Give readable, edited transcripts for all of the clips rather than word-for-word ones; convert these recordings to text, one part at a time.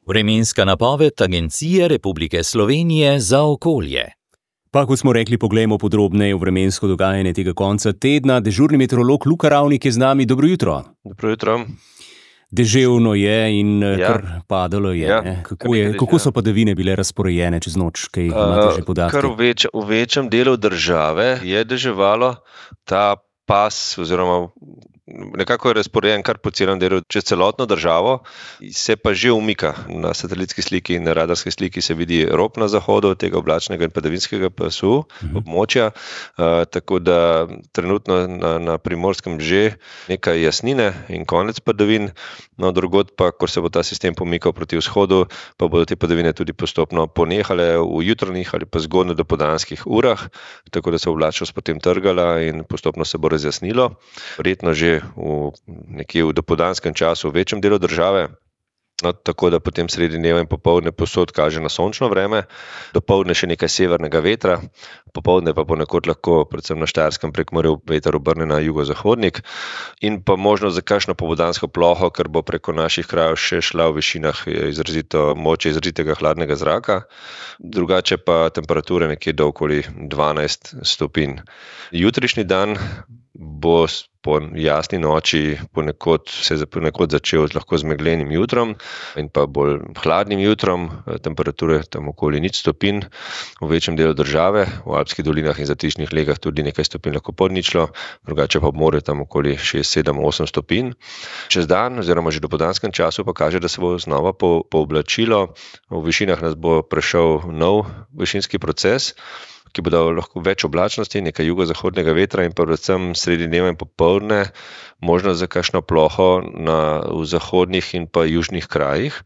Vremenska napoved Agencije Republike Slovenije za okolje. Pa kot smo rekli, poglejmo podrobneje v vremensko dogajanje tega konca tedna. Dežurni meteorolog Luka Ravnik je z nami. Dobro jutro. Dobro jutro. Deževno je in kar padalo je. Ja. Kako so padavine bile razporejene čez noč? Kaj imate že podatke? Kar v večjem delu države je deževalo. Ta pas oziroma nekako je razporejen kar po celem delu čez celotno državo, se pa že umika. Na satelitski sliki in na radarski sliki se vidi rob na zahodu tega oblačnega in padavinskega pasu območja, tako da trenutno na Primorskem že nekaj jasnine in konec padavin, no drugod pa, ko se bo ta sistem pomikal proti vzhodu, pa bodo te padavine tudi postopno ponehale v jutranjih ali pa zgodnjo dopoldanskih urah, tako da se oblačnost potem trgala in postopno se bo razjasnilo. Verjetno že nekje v dopoldanskem času v večjem delu države, no, tako da potem sredi dneva in popoldne povsod kaže na sončno vreme, dopoldne še nekaj severnega vetra, popoldne pa ponekod lahko, predvsem na Štajerskem Prekmurju, veter obrne na jugozahodnik in pa možnost za kakšno popoldansko ploho, ker bo preko naših krajev še šla v višinah moče izrazitega hladnega zraka, drugače pa temperature nekje do okoli 12 stopinj. Jutrišnji dan bo po jasni noči ponekod začel lahko z meglenim jutrom in pa bolj hladnim jutrom, temperature tam okoli 0 stopinj v večjem delu države, v alpskih dolinah in zatišnih legah tudi nekaj stopinj lahko pod ničlo, drugače pa ob morju tam okoli 6, 7, 8 stopinj. Čez dan oziroma že v dopoldanskem času pa kaže, da se bo znova pooblačilo, v višinah nas bo prešel nov višinski proces, ki bo dal lahko več oblačnosti, nekaj jugozahodnega vetra in pa predvsem sredi dneva in popoldne možnost za kakšno ploho v zahodnih in pa južnih krajih.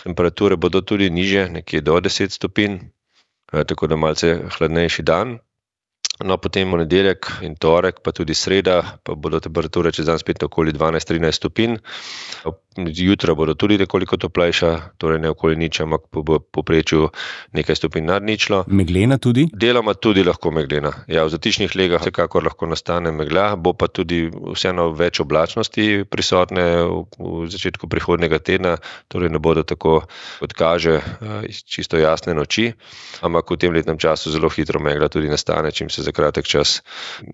Temperature bodo tudi nižje, nekje do 10 stopinj, tako da malce hladnejši dan. No, potem v nedeljek in torek, pa tudi sreda, pa bodo temperature čez dan spet okoli 12-13 stopinj. Jutra bodo tudi nekoliko toplejša, torej ne okoli nič, ampak po povprečju nekaj stopinj nad ničlo. Meglena tudi? Deloma tudi lahko meglena. Ja, v zatišnih legah vsekakor lahko nastane megla, bo pa tudi vseeno več oblačnosti prisotne v začetku prihodnjega tedna, torej ne bodo tako, kot kaže, čisto jasne noči, ampak v tem letnem času zelo hitro megla tudi nastane, čim se za kratek čas,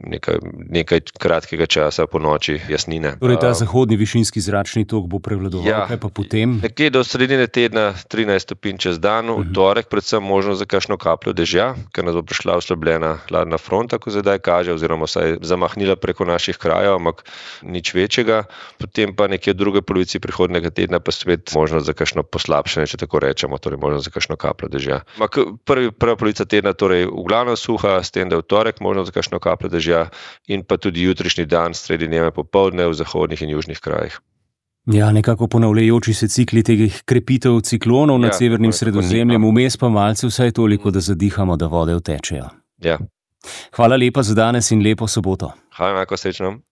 nekaj kratkega časa po noči jasnine. Torej ta zahodni višinski zračni tok bo prevladoval, kaj pa potem? Nekje do sredine tedna 13 stopinj čez dan, v torek predvsem možnost za kakšno kapljo dežja, ker nas bo prišla oslabljena hladna fronta, ko zdaj kaže, oziroma saj zamahnila preko naših krajev, ampak nič večjega. Potem pa nekje v druge polovici prihodnjega tedna pa spet možnost za kakšno poslabšanje, če tako rečemo, torej možnost za kakšno kapljo dežja. Ampak prva polovica tedna torej v glavnem suha, s tem, da v torek možnost za kakšno kapljo dežja in pa tudi jutrišnji dan sredi dneva popoldne v zahodnih in južnih krajih. Ja, nekako ponavljajoči se cikli teh krepitev ciklonov nad severnim Sredozemljem, vmes pa malce vsaj toliko, da zadihamo, da vode vtečejo. Ja. Hvala lepa za danes in lepo soboto. Hvala, enako srečno.